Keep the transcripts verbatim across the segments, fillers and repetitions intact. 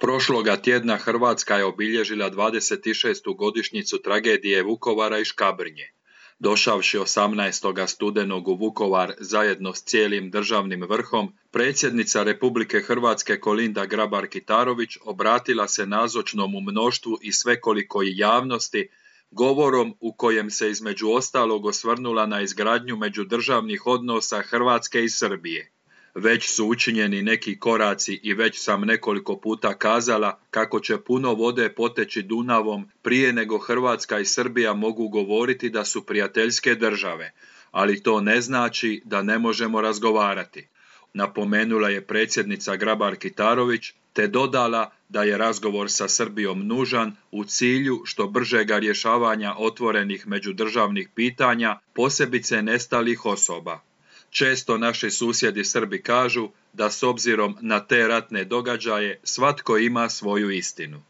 Prošloga tjedna Hrvatska je obilježila dvadeset šestu godišnjicu tragedije Vukovara i Škabrnje. Došavši osamnaestog studenog u Vukovar zajedno s cijelim državnim vrhom, predsjednica Republike Hrvatske Kolinda Grabar-Kitarović obratila se nazočnom mnoštvu i svekolikoj javnosti govorom u kojem se između ostalog osvrnula na izgradnju međudržavnih odnosa Hrvatske i Srbije. Već su učinjeni neki koraci i već sam nekoliko puta kazala kako će puno vode poteći Dunavom prije nego Hrvatska i Srbija mogu govoriti da su prijateljske države, ali to ne znači da ne možemo razgovarati, napomenula je predsjednica Grabar-Kitarović, te dodala da je razgovor sa Srbijom nužan u cilju što bržega rješavanja otvorenih međudržavnih pitanja, posebice nestalih osoba. Često naši susjedi Srbi kažu da s obzirom na te ratne događaje svatko ima svoju istinu.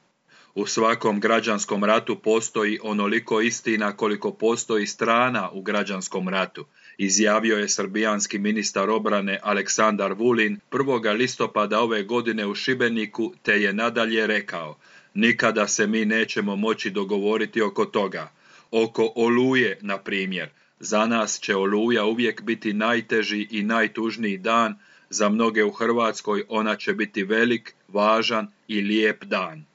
U svakom građanskom ratu postoji onoliko istina koliko postoji strana u građanskom ratu, izjavio je srbijanski ministar obrane Aleksandar Vulin prvog listopada ove godine u Šibeniku, te je nadalje rekao: nikada se mi nećemo moći dogovoriti oko toga. Oko Oluje, na primjer. Za nas će Oluja uvijek biti najteži i najtužniji dan, za mnoge u Hrvatskoj ona će biti velik, važan i lijep dan.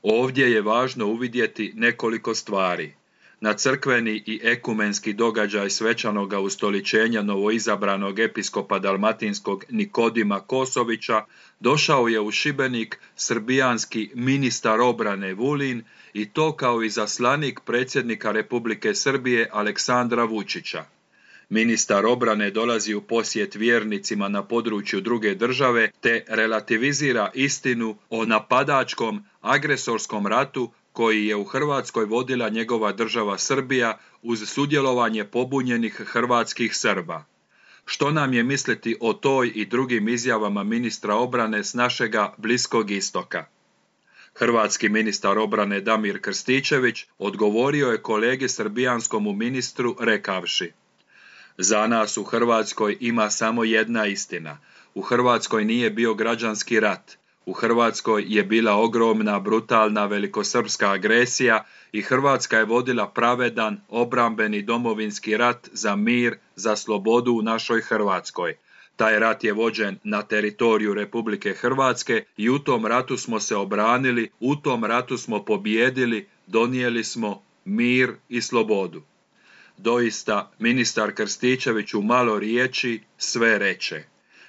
Ovdje je važno uvidjeti nekoliko stvari. Na crkveni i ekumenski događaj svečanoga ustoličenja novoizabranog episkopa dalmatinskog Nikodima Kosovića došao je u Šibenik srbijanski ministar obrane Vulin, i to kao izaslanik predsjednika Republike Srbije Aleksandra Vučića. Ministar obrane dolazi u posjet vjernicima na području druge države te relativizira istinu o napadačkom, agresorskom ratu koji je u Hrvatskoj vodila njegova država Srbija uz sudjelovanje pobunjenih hrvatskih Srba. Što nam je misliti o toj i drugim izjavama ministra obrane s našega Bliskog istoka? Hrvatski ministar obrane Damir Krstičević odgovorio je kolegi srbijanskom ministru rekavši: za nas u Hrvatskoj ima samo jedna istina. U Hrvatskoj nije bio građanski rat. U Hrvatskoj je bila ogromna, brutalna velikosrpska agresija i Hrvatska je vodila pravedan, obrambeni domovinski rat za mir, za slobodu u našoj Hrvatskoj. Taj rat je vođen na teritoriju Republike Hrvatske i u tom ratu smo se obranili, u tom ratu smo pobijedili, donijeli smo mir i slobodu. Doista, ministar Krstičević u malo riječi sve reče.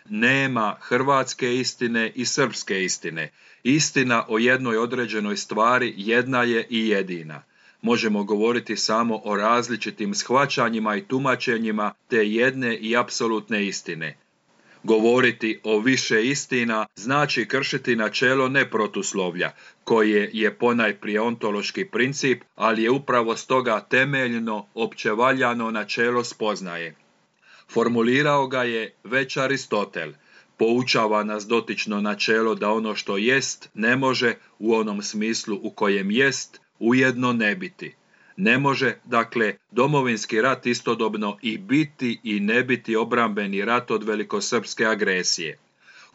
Nema hrvatske istine i srpske istine. Istina o jednoj određenoj stvari jedna je i jedina. Možemo govoriti samo o različitim shvaćanjima i tumačenjima te jedne i apsolutne istine. Govoriti o više istina znači kršiti načelo neprotuslovlja, koje je ponajprije ontološki princip, ali je upravo stoga temeljno, općevaljano načelo spoznaje. Formulirao ga je već Aristotel. Poučava nas dotično načelo da ono što jest ne može u onom smislu u kojem jest ujedno ne biti. Ne može, dakle, domovinski rat istodobno i biti i ne biti obrambeni rat od velikosrpske agresije.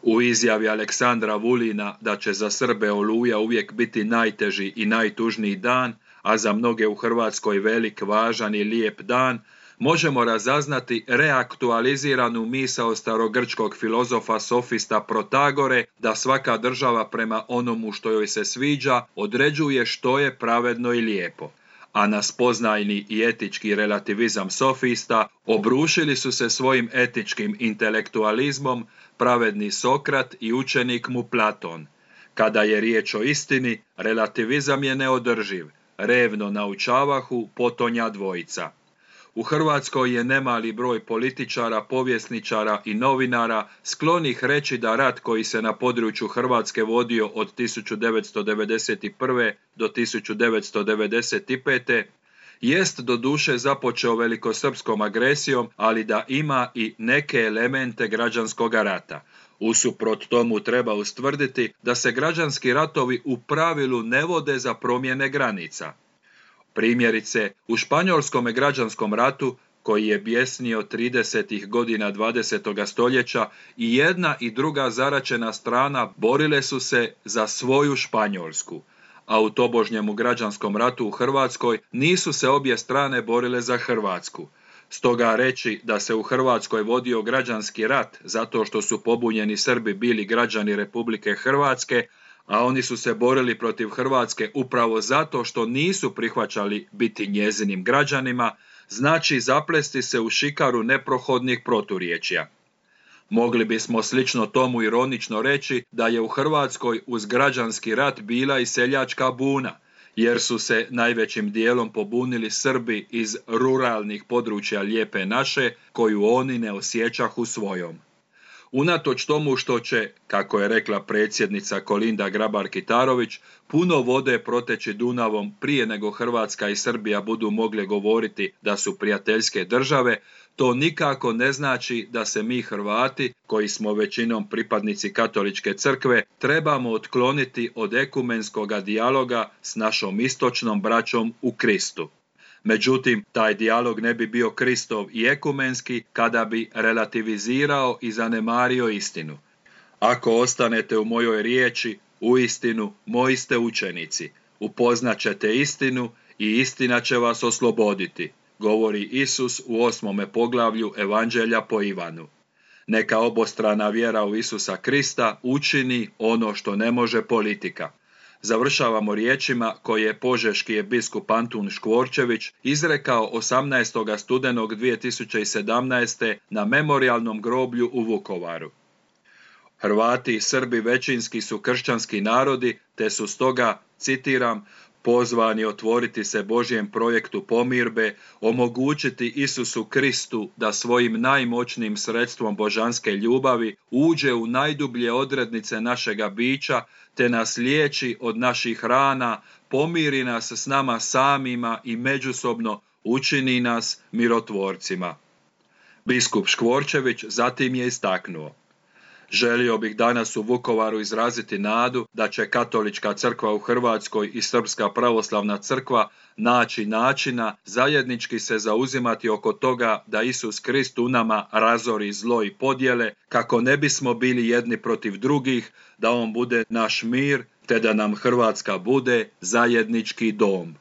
U izjavi Aleksandra Vulina da će za Srbe Oluja uvijek biti najteži i najtužniji dan, a za mnoge u Hrvatskoj velik, važan i lijep dan, možemo razaznati reaktualiziranu misao starogrčkog filozofa sofista Protagore da svaka država prema onomu što joj se sviđa određuje što je pravedno i lijepo. A na spoznajni i etički relativizam sofista obrušili su se svojim etičkim intelektualizmom pravedni Sokrat i učenik mu Platon. Kada je riječ o istini, relativizam je neodrživ, revno naučavahu potonja dvojica. U Hrvatskoj je nemali broj političara, povjesničara i novinara sklonih reći da rat koji se na području Hrvatske vodio od tisuću devetsto devedeset prve. do tisuću devetsto devedeset pete. jest doduše započeo velikosrpskom agresijom, ali da ima i neke elemente građanskog rata. Usuprot tomu treba ustvrditi da se građanski ratovi u pravilu ne vode za promjene granica. Primjerice, u Španjolskom građanskom ratu, koji je bjesnio tridesetih godina dvadesetoga stoljeća i jedna i druga zaraćena strana borile su se za svoju Španjolsku, a u tobožnjemu građanskom ratu u Hrvatskoj nisu se obje strane borile za Hrvatsku. Stoga reći da se u Hrvatskoj vodio građanski rat zato što su pobunjeni Srbi bili građani Republike Hrvatske, a oni su se borili protiv Hrvatske upravo zato što nisu prihvaćali biti njezinim građanima, znači zaplesti se u šikaru neprohodnih proturječja. Mogli bismo slično tomu ironično reći da je u Hrvatskoj uz građanski rat bila i seljačka buna, jer su se najvećim dijelom pobunili Srbi iz ruralnih područja Lijepe naše, koju oni ne osjećahu svojom. Unatoč tomu što će, kako je rekla predsjednica Kolinda Grabar-Kitarović, puno vode proteći Dunavom prije nego Hrvatska i Srbija budu mogle govoriti da su prijateljske države, to nikako ne znači da se mi Hrvati, koji smo većinom pripadnici Katoličke crkve, trebamo otkloniti od ekumenskoga dijaloga s našom istočnom braćom u Kristu. Međutim, taj dijalog ne bi bio Kristov i ekumenski kada bi relativizirao i zanemario istinu. Ako ostanete u mojoj riječi, uistinu moji ste učenici, upoznat ćete istinu i istina će vas osloboditi, govori Isus u osmome poglavlju Evanđelja po Ivanu. Neka obostrana vjera u Isusa Krista učini ono što ne može politika. Završavamo riječima koje je požeški biskup Antun Škvorčević izrekao osamnaestog studenog dvije tisuće sedamnaeste. na memorijalnom groblju u Vukovaru. Hrvati i Srbi većinski su kršćanski narodi, te su stoga, citiram, pozvani otvoriti se Božjem projektu pomirbe, omogućiti Isusu Kristu da svojim najmoćnijim sredstvom božanske ljubavi uđe u najdublje odrednice našega bića, te nas liječi od naših rana, pomiri nas s nama samima i međusobno učini nas mirotvorcima. Biskup Škvorčević zatim je istaknuo: želio bih danas u Vukovaru izraziti nadu da će Katolička crkva u Hrvatskoj i Srpska pravoslavna crkva naći načina zajednički se zauzimati oko toga da Isus Krist u nama razori zlo i podjele, kako ne bismo bili jedni protiv drugih, da on bude naš mir, te da nam Hrvatska bude zajednički dom.